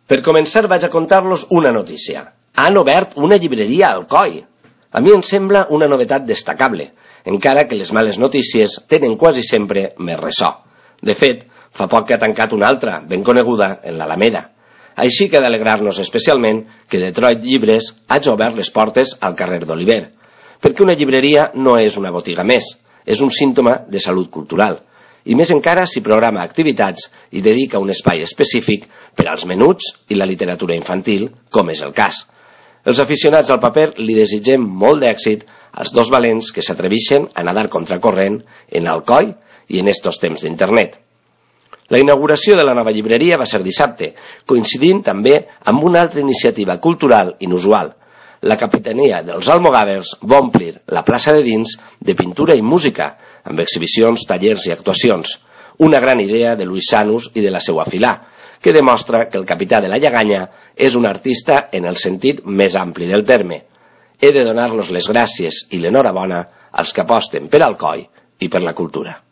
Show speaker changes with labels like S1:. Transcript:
S1: Per començar vaig a contar-los una notícia. Han obert una llibreria a Alcoi. A mi em sembla una novetat destacable, encara que les males notícies tenen quasi sempre més ressò. De fet, fa poc que ha tancat una altra, ben coneguda, en l'Alameda. Així que ha d'alegrar-nos especialment que Detroit Llibres hagi obert les portes al carrer d'Oliver, perquè una llibreria no és una botiga més, és un símptoma de salut cultural, i més encara si programa activitats i dedica un espai específic per als menuts i la literatura infantil, com és el cas. Els aficionats al paper li desitgem molt d'èxit als dos valents que s'atreveixen a nadar contracorrent en Alcoi i en estos temps d'internet. La inauguració de la nova llibreria va ser dissabte, coincidint també amb una altra iniciativa cultural inusual. La capitania dels Almogàvers va omplir la plaça de dins de pintura i música, amb exhibicions, tallers i actuacions. Una gran idea de Luis Sanus i de la seva filà, que demostra que el capità de la Lleganya és un artista en el sentit més ampli del terme. He de donar-los les gràcies i l'enhorabona als que aposten per Alcoi i per la cultura.